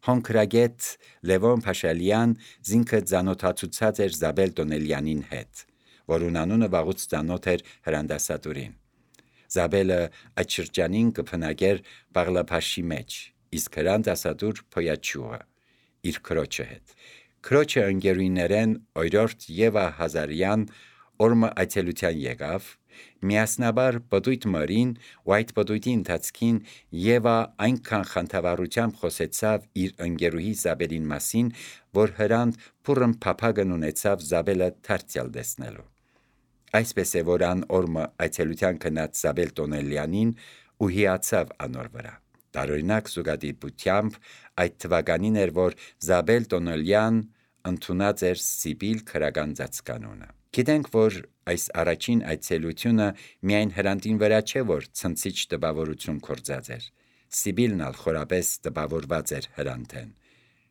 Հոնքրագետ Լևոն Փաշալյան զինքը ծանոթացուցած էր Զաբել Տոնելյանին հետ, որուն անունը վաղուց ծանոթ էր հրանդասատուրին։ Զաբելը այդ շրջանին կփնագեր Բաղլափաշի մեջ, իսկ հրանդասատուր Փոյաչուղը իր քրոջը հետ։ Քրոջը ընկերուներեն Օրորտ Եվա Հազարյան օրմը այցելության եկավ, միասնաբար պտույտ մրին ու այդ պտույտի ընթացքին Եվա այնքան խանդավառությամբ խոսեցավ իր ընկերուհի Զաբելին մասին, որ հրանդ փուրն փափագն ունեցավ Զաբելը թարցյալ տեսնելու։ Այսպես է, որ ան օրմը այցելության գնաց Զաբել Տոնելյանին ու հիացավ անոր վրա։ Տարօրինակ զուգադիպությամբ այդ թվականին էր, որ Զաբել Տոնելյան ընդունած էր Սիբիլ քրական ծածկանունը։ Գիտենք, որ այս առաջին այցելությունը միայն հրանտին վրա չէ, որ ցնցիչ տպավորություն կործած էր։ Սիբիլն ալ խորապես տպավորված էր հրանտեն,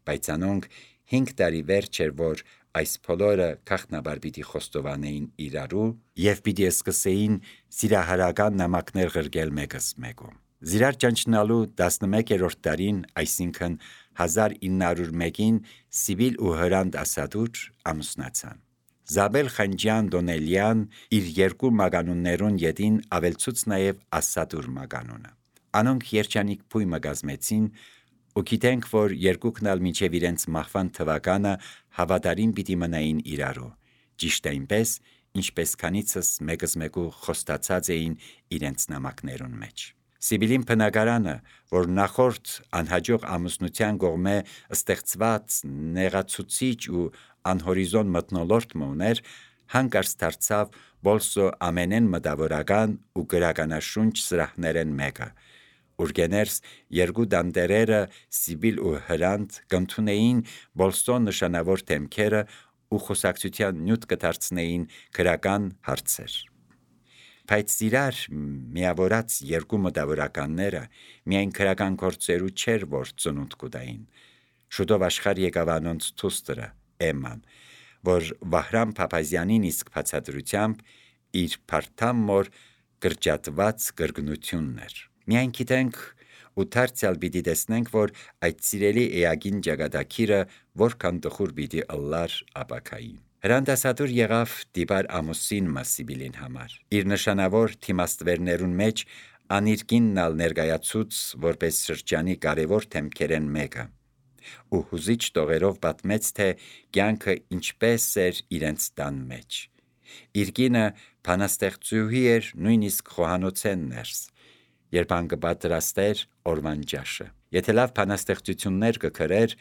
բայց անոնք 5 տարի վերջ էր, որ այս բոլորը քաղտնաբար պիտի խոստովանեին իրարու եւ պիտի սկսեին սիրահարական նամակներ ղրկել մեկս մեկում։ Զիրար ճանչնալու 11-րդ տարին, այսինքն 1901-ին Սիբիլ ու հրանտ ասադուր ամուսնացան։ Զաբել Խանջյան Դոնելյան իր երկու մագանուններուն ետին ավելցուց նաև ասադուր մագանունը։ Անոնք երջանիկ փույմը գազմեցին ու գիտենք, որ երկուքն ալ մինչև իրենց մահվան թվականը հավատարիմ պիտի մնային իրարու, ճիշտ այնպես, ինչպես քանիցս մեկս մեկու խոստացած էին իրենց նամակներուն մեջ։ Սիբիլին բնակարանը, որ նախորդ անհաջող ամուսնության կողմէ ստեղծված նեղացուցիչ ու անհորիզոն մթնոլորտ ուներ, հանկարծ դարձավ բոլսո ամենեն մտավորական ու գրականաշունչ սրահներեն մեկը, ուրգեներս երկու դանտերերը Սիբիլ ու հրանտ կընդունեին բոլսո նշանավոր թեմքերը ու խոսակցության նյութ կդարձնեին գրական հարցեր։ Բայց իրար միավորած երկու մտավորականները միայն քրական գործերու չէր, որ ծնունդ կուտային։ Շուտով աշխարհ եկավ անոնց թուստրը Էմման, որ Վահրամ Փափազյանին իսկ բացատրությամբ իր փարթամ մոր կրճատված կրկնությունն էր։ Միայն գիտենք ու դարձյալ պիտի տեսնենք, որ այդ սիրելի էագին ճակատագիրը որքան տխուր պիտի ըլլար ապակային։ Հրանդասատուր եղավ դիպար ամուսին Սիբիլին համար։ Իր նշանավոր թիմաստվերներուն մեջ անիր կինն ալ ներկայացուց որպես շրջանի կարևոր թեմքերեն մեկը ու հուզիչ տողերով պատմեց, թե կյանքը ինչպես էր իրենց տան մեջ։ Իր կինը բանաստեղծուհի էր նույնիսկ խոհանոցեն ներս, երբ ան կպատրաստեր օրվան ջաշը։ Եթե լավ բանաստեղծություններ կգրեր,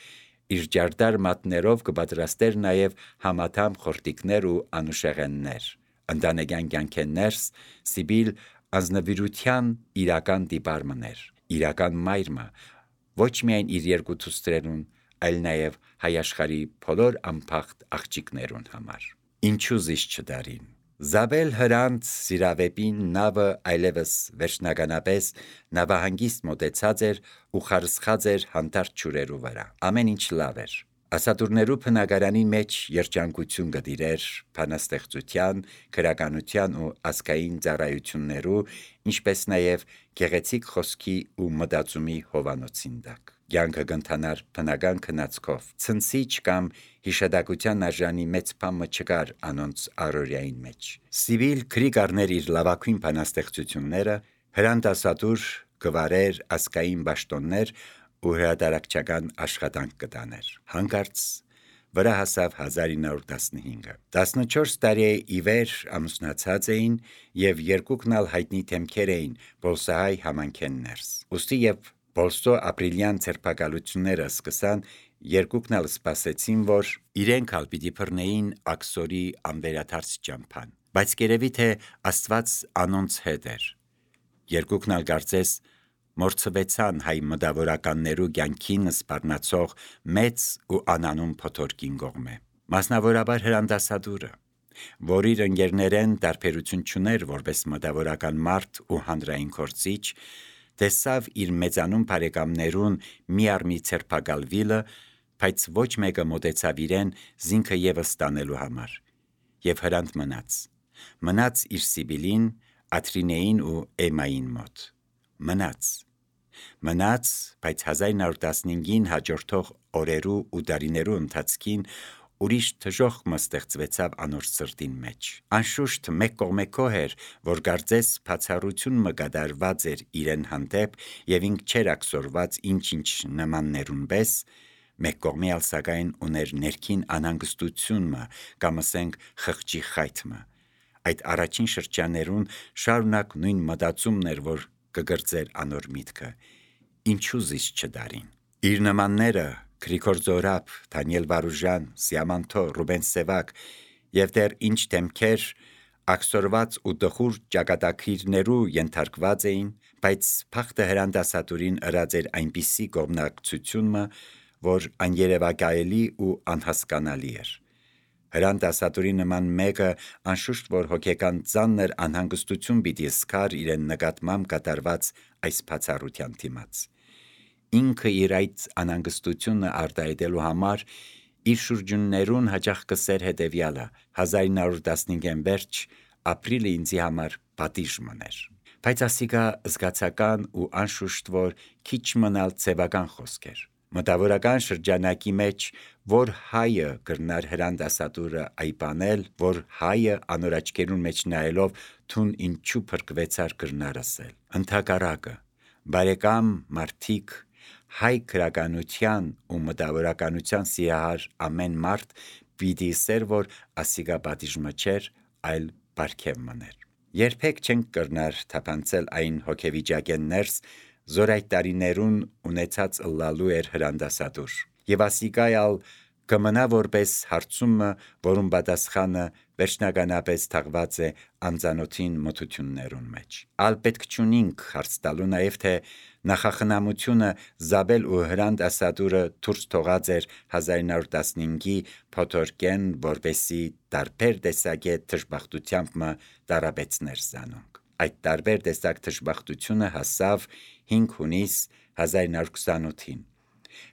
իր ջարդար մատներով կպատրաստեր նաև համաթամ խորտիկներ ու անուշեղեններ։ Ընտանեկան կյանքեն ներս Սիբիլ անձնվիրության իրական դիպարմն էր, իրական մայրմը, ոչ միայն իր երկու թուստրերուն, այլ նաև հայ աշխարհի բոլոր անփախտ աղջիկներուն համար։ Ինչու զիշ չդարին։ Զաբել հրանտ սիրավեպին նավը այլևս վերջնականապես նավահանգիստ մոտեցած էր ու խարսխած էր հանդարտ ջուրերու վրա։ Ամեն ինչ լավ էր։ Ասատուրներու բնակարանի մեջ երջանկություն գտիրեր բանաստեղծության, գրականության ու ազգային ծառայություններու, ինչպես նաև գեղեցիկ խոսքի ու մտածումի հովանոցին տակ։ Կյանքը կընթանար բնական քնածքով, ցնցիչ կամ հիշատակության արժանի մեծ բամը չկար անոնց առօրյային մեջ։ Սիբիլ քրի կառներ իր լավագույն բանաստեղծությունները, հրանդասատուր գվարեր ազգային պաշտոններ ու հրատարակչական աշխատանք կտաներ։ Հանկարծ վրա հասավ 1915-ը։ 14 տարի ի վեր ամուսնացած էին եւ երկուքն ալ հայտնի թեմքեր էին բոլսահայ համանքեն ներս։ Ուստի եւ բոլսո ապրիլյան ցերպակալությունները սկսան, երկուքն ալ սպասեցին, որ իրենք ալ պիտի բռնեին աքսորի անվերադարձ ճամփան։ Բայց երևի թե Աստված անոնց հետ էր։ Երկուքն ալ կարծես մորցվեցան հայ մտավորականներու կյանքին սպառնացող մեծ ու անանուն փոթորկին կողմէ։ Մասնավորաբար հրանդասատուրը, որ իր ընկերներեն տարբերություն չուներ որպես մտավորական մարդ ու հանրային գործիչ, տեսավ իր մեծանուն բարեկամներուն մի առ մի ցերպակալվիլը, բայց ոչ մեկը մոտեցավ իրեն զինքը եւս տանելու համար։ Եվ հրանտ մնաց իր Սիբիլին, Աթրինեին ու Էմային մոտ։ Մնաց։ Մնաց, բայց 1915-ին հաջորդող օրերու ու դարիներու ընթացքին ուրիշ թժոխմը ստեղծվեցավ անոր սրտին մեջ։ Անշուշտ մեկ կողմէ էր, որ գարձես բացառություն մը գդարված էր իրեն հանդեպ եւ ինք չեր ակսորված ինչ նմաններուն պես, մեկ կողմի ալ սակայն ուներ ներքին անհանգստությունը կամ ասենք խղճի խայթմը։ Այդ առաջին շրջաներուն շարունակ նույն մտածումն էր, որ կգրծեր անոր միտքը. ինչու զիս չդարին։ Իր նմանները Գրիգոր Զորաբ, Դանիել Վարուժան, Սիամանթո, Ռուբեն Սևակ եւ դեռ ինչ դեմքեր ակսորված ու դխուր ճակատագիրներու ենթարկված էին, բայց փախտը հրանդասատուրին ըրած էր այնպիսի կողմնակցությունը, որ աներևակայելի ու անհասկանալի էր։ Հրանդասատուրի նման մեկը անշուշտ որ հոգեկան ծանր անհանգստություն պիտի զգար իրեն նկատմամբ կատարված այս բացառության դիմաց։ Ինքը իր այդ անհանգստությունը արտահայտելու համար իր շրջուններուն հաճախ կսեր հետևյալը. 1915-ին վերջ ապրիլը ինձի համար պատիժ մներ։ Բայց ասիկա զգացական ու անշուշտ որ քիչ մնալ ցեվական խոսք էր։ Մտավորական շրջանակի մեջ, որ հայը կրնար հրանդասատուրը այբանել, որ հայը անոր աչքերուն մեջ նայելով թուն ինչու փրկվեցար կրնար ասել։ Ընդհակառակը, բարեկամ մարդիկ, հայ քրականության ու մտավորականության սիրահար ամեն մարդ պիտի սեր, որ ասիկա պատիժը չէր, այլ բարգև մներ։ Երբեք չենք կրնար թափանցել այն հոգեվիճակեն ներս, զոր այդ տարիներուն ունեցած ըլլալու էր հրանդասատուր։ Եվ ասիկայալ կմնա որպես հարցումը, որում պատասխանը վերջնականապես թաղված է անծանոթին մթություններուն մեջ։ Ալ պետք չունինք հարց տալու նաև թե նախախնամությունը Զաբել ու հրանդասատուրը դուրս թողած էր 1915-ի փոթորկեն, որպեսի տարբեր տեսակետ թշբախտությամբ մը տարաբեցներ զանոնք։ Այդ տարբեր տեսակ թշբախտությունը հասավ 5 հունիս 1928-ին։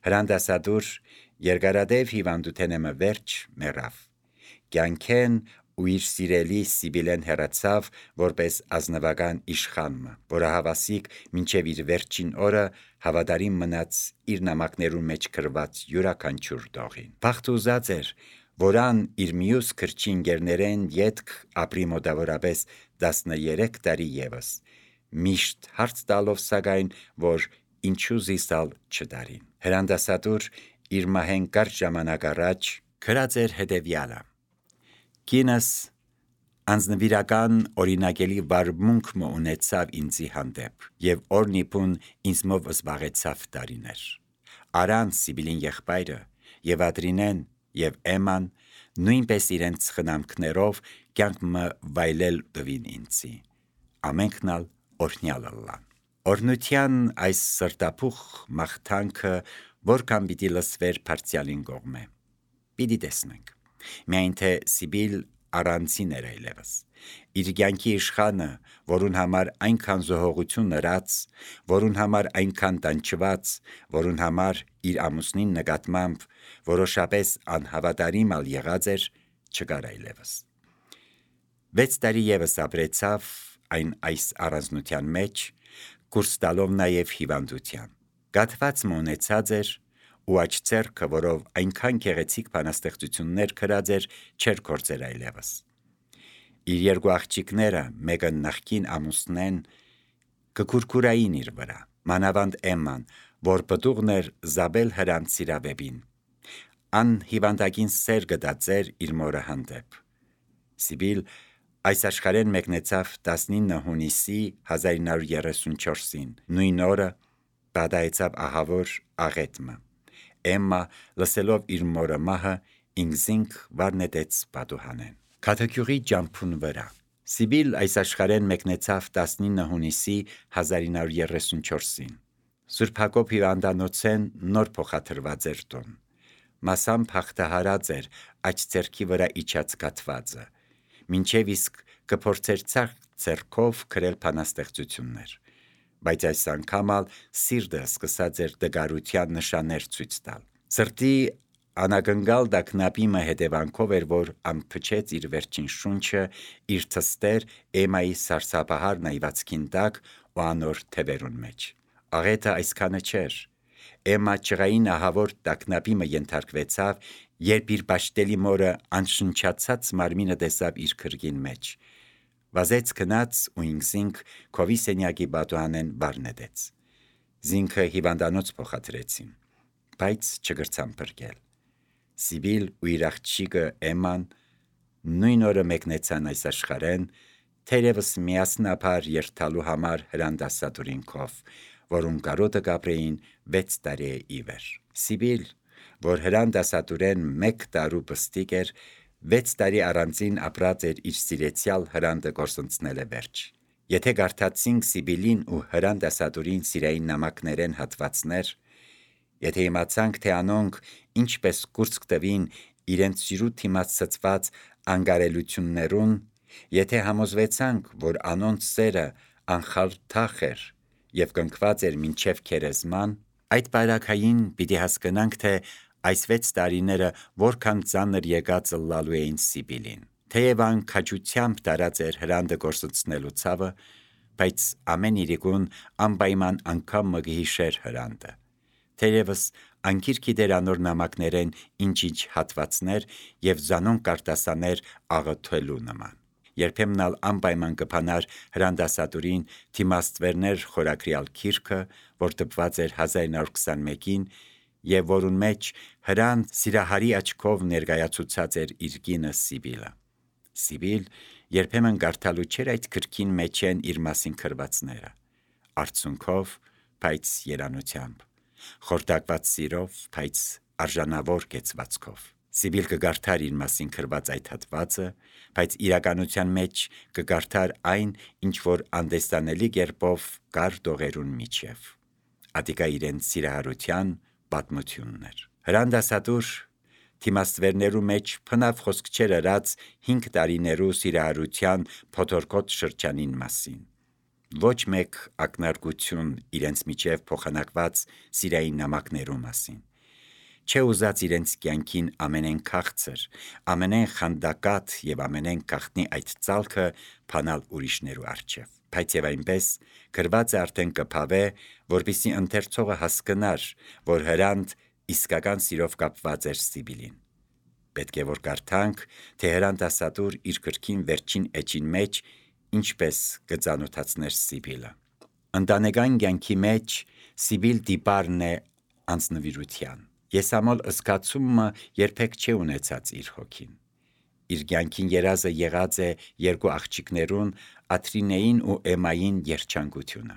Հրանդասատուր երկարադեպ հիվանդութենը վերջ մեռավ։ Կյանքեն ու իր սիրելի Սիբիլեն հեռացավ որպես ազնվական իշխանմը, որը հավասիկ մինչև իր վերջին օրը հավատարիմ մնաց իր նամակներուն մեջ գրված յուրաքանչյուր տողին։ Բախտ ուզած էր, որան իր մյուս քրչի ընկերներեն ետք ապրի մոտավորապես 13 տարի ևս, միշտ հարց տալով սակայն, որ ինչու զիսալ չդարին։ Հրանդասատուր իր մահեն կարճ ժամանակ առաջ գրած էր հետևյալը. «Կինս անձնվիրական օրինակելի վարմունքը ունեցավ ինձի հանդեպ եւ օրնիպուն ինձմով զբաղեցավ տարիներ։ Արան Սիբիլին եղբայրը եւ Ադրինեն եւ Էման նույնպես իրենց խնամքներով կյանքը վայելել տվին ինձի։ Ամենքն ալ օրհնյալ ըլլան»։ Օրնության այս սրտապուխ մաղթանքը որքան պիտի լսվեր բարձյալին կողմէ։ Պիտի տեսնենք։ Միայն թե Սիբիլ առանցին էր այլևս։ Իր կյանքի իշխանը, որուն համար այնքան զոհողություն ըրած, որուն համար այնքան տանջված, որուն համար իր ամուսնին նկատմամբ որոշապես անհավատարիմ ալ եղած էր, չկար այլևս։ 6 տարի ևս ապրեցավ այս առանձնության մեջ, կուրս տալով նաև հիվանդության։ Գաթված մոնեցած էր ու աջ ձեռքը, որով այնքան գեղեցիկ բանաստեղծություններ գրած էր, չէր գործեր այլևս։ Իր երկու աղջիկները, մեկը նախկին ամուսնեն, կկուրկուրային իր վրա, մանավանդ Էմման, որ պտուղն էր Զաբել հրանց սիրավեպին։ Ան հիվանդագին սեր գտածեր իր մորը հանդեպ։ Սիբիլ այս աշխարհեն մեկնեցավ 19 հունիսի 1934-ին, նույն օրը պատահեցավ ահավոր աղետմը։ Էմմա լսելով իր մորը մահը ինքզինք վառնետեց պատուհանեն։ Քաթեքյուղի ջամփուն վրա։ Սիբիլ այս աշխարհեն մեկնեցավ 19 հունիսի 1934-ին։ Սուրբ Հակոբ հիվանդանոցեն նոր փոխադրված էր տուն։ Մասամբ հաղթահարած էր աջ ձեռքի վրա իջած կաթվածը, մինչև իսկ կփորձեր ձեռքով գրել բանաստեղծություններ, բայց այս անգամ ալ սիրտը սկսած էր դգարության նշաններ ցույց տալ։ Սրտի անակնկալ դակնապիմը հետևանքով էր, որ ամփչեց իր վերջին շունչը իր թստեր Էմայի սարսափահար նայվածքին տակ ու անոր թևերուն մեջ։ Աղետը այսքանը չէր։ Էմմա ճղային ահավոր տագնապի մը ենթարկվեցավ, երբ իր բաշտելի մորը անշնչացած մարմինը տեսավ իր քրգին մեջ։ Վազեց գնաց ու ինքզինք քովի սենյակի բատուհանեն վարնետեց։ Զինքը հիվանդանոց փոխադրեցին, բայց չգրցան փրկել։ Սիբիլ ու իր աղջիկը Էմման նույն օրը մեկնեցան այս աշխարհեն, թերևս միասնաբար երթալու համար հրանդասատուրին քով, որում կարոտը կապրեին 6 տարի ի վեր։ Սիբիլ, որ հրանդասատուրեն 1 տարու պստիկ էր, 6 տարի առանձին ապրած էր իր սիրեցյալ հրանդը գործընծնել է վերջ։ Եթե գարթացինք Սիբիլին ու հրանդասատուրին սիրային նամակներեն հատվածներ, եթե իմացանք, թե անոնք ինչպես կուրծք տվին իրենց սիրուտ թիմած ցծված անգարելություններուն, եթե համոզվեցանք, որ անոնց սերը անխալթախ էր և կնքված էր մինչև քերեզման, այդ բարակային պիտի հասկանանք, թե այս 6 տարիները որքան ծանր եկած ըլլալու էին Սիբիլին։ Թեև ան քաջությամբ տարած էր հրանդը գործընծնելու ցավը, բայց ամեն իրիկուն անպայման անգամ մը գհիշեր հրանդը։ Թերևս անկիր գիտեր անոր նամակներեն ինչ-ինչ հատվածներ և զանոն կարտասաներ աղոթելու նման։ Երբեմն ալ անպայման կփանար հրանդասատուրին Թիմաստվերներ խորագրյալ գիրքը, որ տպված էր 1921-ին և որուն մեջ հրան սիրահարի աչքով ներկայացուցած էր իր կինը Սիբիլը։ Սիբիլ երբեմն կարդալու չէր այդ գրքին մեջ են իր մասին գրվածները, արցունքով, բայց երանությամբ, խորտակված սիրով, բայց արժանավոր կեցվածքով։ Սիբիլ կգարդար իր մասին գրված այդ հատվածը, բայց իրականության մեջ կգարդար այն, ինչ որ անդեստանելի կերպով կար դողերուն միջև։ Ատիկա իրեն սիրահարության պատմությունն էր։ Հրանդասատուր Թիմաստվերներու մեջ փնավ խոսք չեր ըրած 5 տարիներու սիրահարության փոթորկոտ շրջանին մասին։ Ոչ մեկ ակնարկություն իրենց միջև փոխանակված սիրային նամակներու մասին։ Չէ ուզած իրենց կյանքին ամենեն քաղցր, ամենեն խանդակատ և ամենեն գաղտնի այդ ծալքը փանալ ուրիշներու առջև։ Բայց եւ այնպես գրվածը արդեն կփավե, որպեսզի ընթերցողը հասկանար, որ հրանդ իսկական սիրով կապված էր Սիբիլին։ Պետք է որ կարդանք, թե հրանդասատուր իր գրքին վերջին էջին մեջ ինչպես կծանոթացներ Սիբիլը։ Ընտանեկան կյանքի մեջ Սիբիլ դիպարն է անձնվիրության։ Եսամոլ ըսկացումը երբեք չէ ունեցած իր հոգին։ Իր կյանքին երազը եղած է 2 աղջիկներուն Աթրինեին ու Էմմային երջանկությունը,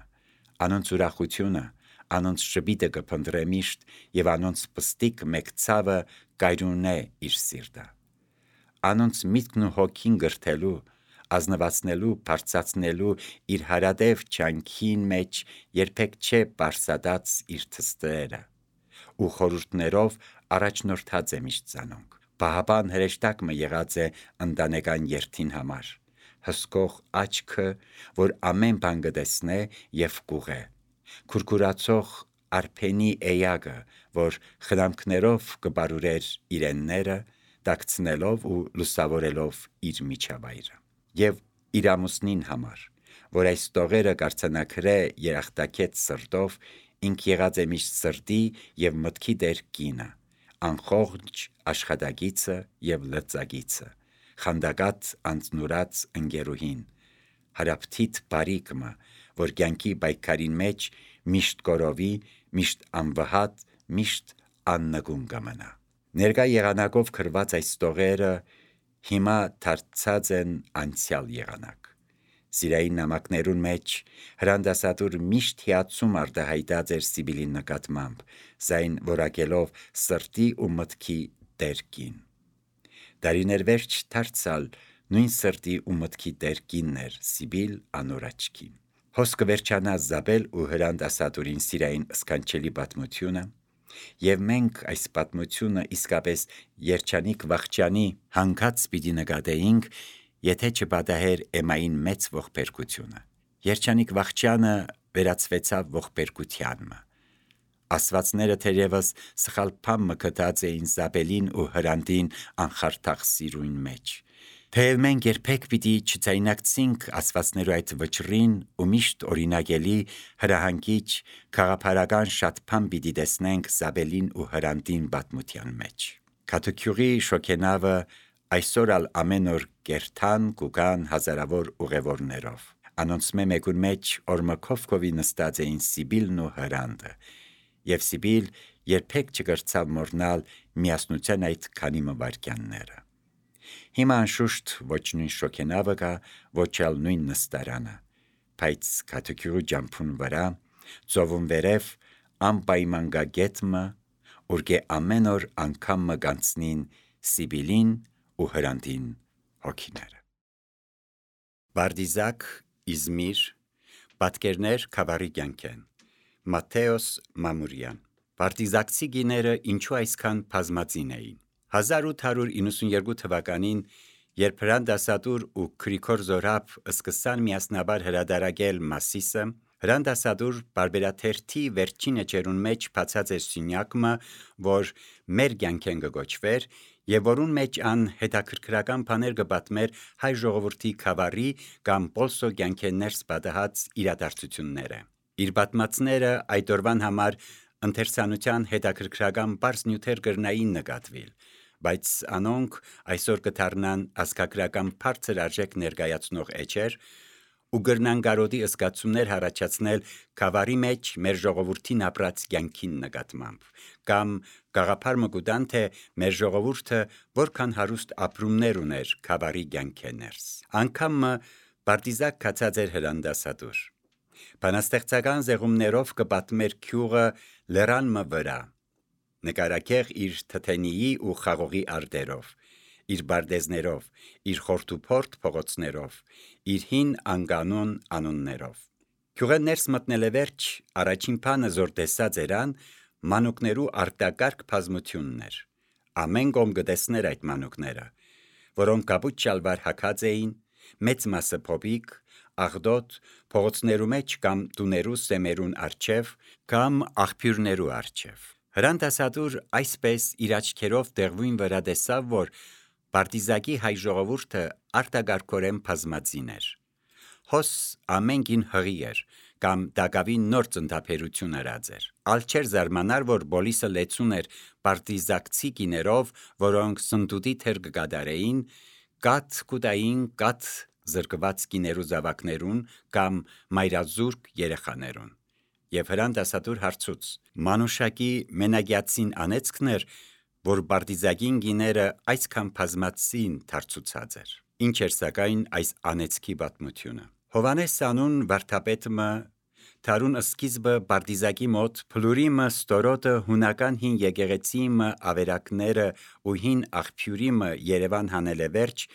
անոնց ուրախությունը, անոնց շբիտը կփնտրե միշտ և անոնց պստիկ մեկ ցավը կայրունե իր սիրտը։ Անոնց միտքն ու հոգին գրթելու, ազնվացնելու, բարձրացնելու իր հարադև չանքին մեջ երբեք չէ պարսադած իր թստերը ու խորհուրդներով առաջնորդած է միշտ զանոնք։ Պահապան հրեշտակ մը եղած է ընտանեկան երթին համար, հսկող աչքը, որ ամեն բան կտեսնե և կուղե, քուրքուրացող արփենի էյակը, որ խնամքներով կբարուրեր իրենները, տաքցնելով ու լուսավորելով իր միջավայրը։ Եվ իր ամուսնին համար, որ այս տողերը կարծանակրե երախտակեց սրտով, ինք եղած է միշտ սրտի և մտքի դեր կինը, անխողջ աշխատագիցը և լծագիցը, խանդակած անձնուրած ընկերուհին, հարապթիթ բարիկը, որ կյանքի պայքարին մեջ միշտ կորովի, միշտ անվհատ, միշտ աննկուն կմնա։ Ներկա եղանակով գրված այս տողերը հիմա դարձած են անցյալ եղանակ։ Սիրային նամակներուն մեջ հրանդասատուր միշտ հիացում արտահայտած էր Սիբիլի նկատմամբ, զայն որակելով սրտի ու մտքի տեր կին։ Դարիներ վերջ դարձալ նույն սրտի ու մտքի տեր կինն էր Սիբիլ անոր աչքին։ Հոսքը վերջանա Զաբել ու հրանդասատուրին սիրային սքանչելի պատմությունը, և մենք այս պատմությունը իսկապես երջանիկ վախճանի հանգած պիտի նկատեինք, եթե չպատահեր Էմմային մեծ ողբերգությունը։ Երջանիկ վախճանը վերածվեցավ ողբերգության։ Աստվածները թերևս սխալ բան մը գտած էին Զաբելին ու հրանդին անխարթախ սիրուն մեջ։ Թեև մենք երբեք պիտի չձայնարկցինք ասվածներու այդ վճռին ու միշտ օրինագելի հրահանգիչ քաղաքապարական շատ բան պիտի տեսնենք Զաբելին ու Հրանդին պատմության մեջ։ Քաթուքյուղի շոքենավը այսօր ալ ամեն օր կերթան կուգան հազարավոր ուղևորներով։ Անոնցմե մեկուն մեջ օրմքովկովի նստած էին Սիբիլն ու Հրանդը, եւ Սիբիլ երբեք չկրցավ մոռնալ միասնության այդ քանի մվարքյանները։ Հիմա անշուշտ ոչ նույն շոքենավը կա, ոչ ալ նույն նստարանը, բայց քաթուքյուղի ջամփուն վրա ծովուն վերև անպայման գա գետմը, ուրգե ամեն օր անգամ մը գանցնին Սիբիլին ու Հրանդին հոգիները։ Բարդիզակ, Իզմիր, պատկերներ Քավառի կյանքեն, Մատթեոս Մամուրյան։ Բարդիզակցի գիները ինչու այսքան բազմածին էին։ 1892 թվականին, երբ Հրան Դասադուր ու Գրիգոր Զորաբ սկսան միասնաբար հրադարագել Մասիսը, Հրան Դասադուր բարբերաթերթի վերջին էջերուն մեջ բացած էր սյունյակը, որ մեր կյանքեն կգոչվեր, եւ որուն մեջ ան հետաքրքրական բաներ կպատմեր հայ ժողովրդի Քավառի կամ Պոլսո կյանքեն ներս պատահած իրադարձությունները։ Իր պատմածները այդ օրվան համար ընթերցանության հետաքրքրական բարձ նյութեր կրնային նկատվել, բայց անոնք այսօր կդառնան ազգագրական բարձր արժեք ներկայացնող էջեր ու կրնան գարոդի զգացումներ առաջացնել Քավառի մեջ մեր ժողովրդին ապրած կյանքին նկատմամբ, կամ գաղափար մկուտան, թե մեր ժողովուրդը որքան հարուստ ապրումներ ուներ Քավառի կյանքեներս։ Անգամ Բարդիզակ կացած էր Հրան Դասադուր։ Բանաստեղծական զեղումներով կպատմեր գյուղը լեռան վրա, նկարակեղ իր թթենիի ու խաղողի արտերով, իր բարդեզներով, իր խորտուփորտ փողոցներով, իր հին անկանոն անուններով։ Գյուղը ներս մտնելը վերջ առաջին բանը զոր տեսած երան մանուկներու արտակարգ բազմությունն էր։ Ամեն կողմ կտեսներ այդ մանուկները, որոնք կապուտ շալվար հագած էին, մեծ մասը փոփիկ, աղդոտ, փողոցներու մեջ կամ տուներու սեմերուն առջև կամ աղբյուրներու առջև։ Հրան Դասադուր այսպես իր աչքերով դեղույն վրա տեսավ, որ Բարդիզակի հայ ժողովուրդը արտագարկորեն բազմածին էր։ Հոս ամենքին հղի էր, կամ դակավին նոր ծննդափերություն արած էր։ Ալ չէր զարմանար, որ բոլիսը լեցուն էր Բարդիզակցի կիներով, որոնք սնդուտի թեր կկատարեին, կաթ կուտային կաթ զրկված կիներու զավակներուն կամ մայրազուրկ երեխաներուն։ Եվ Հրան Դասադուր հարցուց. մանուշակի մենակյացին անեծքն էր, որ Բարդիզակին գիները այսքան բազմածին դարձուցած էր։ Ինչ էր սակայն այս անեծքի պատմությունը։ Հովանես անուն վարդապետը Թարուն սկիզբը Բարդիզակի մոտ փլուրիմը ստորոտը հունական հին եկեղեցիմը ավերակները ու հին աղբյուրիմը Երևան հանել է վերջ,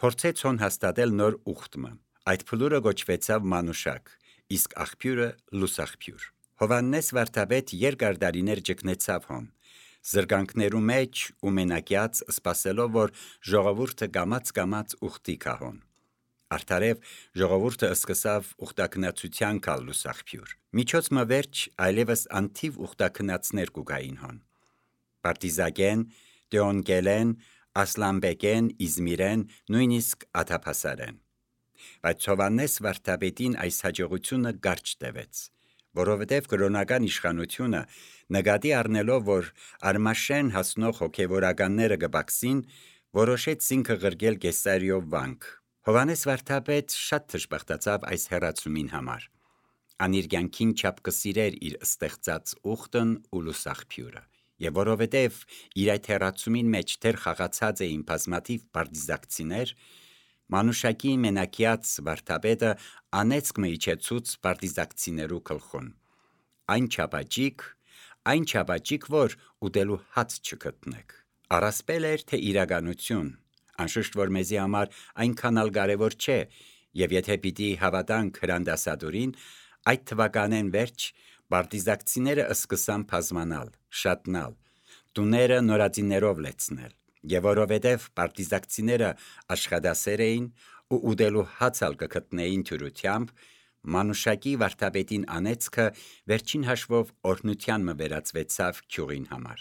փորձեց հոն հաստատել նոր ուխտմը։ Այդ փլուրը գոչվեցավ մանուշակ, իսկ աղբյուրը լուսաղբյուր։ Հովանես վարդապետ երկար դարիներ ճգնեցավ հոն, զրկանքներու մեջ ու մենակյաց սպասելով, որ ժողովուրդը կամաց ուխտի կահոն։ Արդարև ժողովուրդը սկսավ ուխտակնացության կալ լուսաղբյուր։ Միջոց մը վերջ այլևս անթիվ ուխտակնացներ կուգային հոն։ Բարդիզակեն, Տեոնկելեն, Ասլանբեկեն, Իզմիրեն, նույնիսկ աթափասարեն։ Բայց Հովանես վարդապետին այս հաջողությունը կարճ տևեց, որովհետև կրոնական իշխանությունը նկատի առնելով, որ արմաշեն հասնող հոգևորականները կբաքսին, որոշեց զինքը ղրկել Կեսարիով վանք։ Հովանես վարդապետ շատ թշպախտացավ այս հեռացումին համար։ Ան իր կյանքին չափ կսիրեր իր ստեղծած ուխտն ու լուսաղբյուրը։ Եվ որովհետև իր այդ հեռացումին մեջ դեռ խաղացած էին բազմաթիվ բարդիզակցիներ, մանուշակի մենակյաց վարդապետը անեծք մը իջեցուց բարդիզակցիներու գլխուն։ Այն չափաճիկ, որ ուտելու հաց չգտնեք։ Առասպել էր, թե իրականություն, անշուշտ որ մեզի համար այնքան ալ կարևոր չէ, եւ եթե պիտի հավատանք Հրան Դասադուրին, այդ թվականեն վերջ բարդիզակցիները սկսան բազմանալ, շատնալ, տուները նորածիներով լեցնել, եւ որովհետեւ բարդիզակցիները աշխատասեր էին ու ուտելու հաց ալ կգտնեին թյուրությամբ, մանուշակի վարդապետին անեծքը վերջին հաշվով օրհնության մը վերածվեցավ գյուղին համար։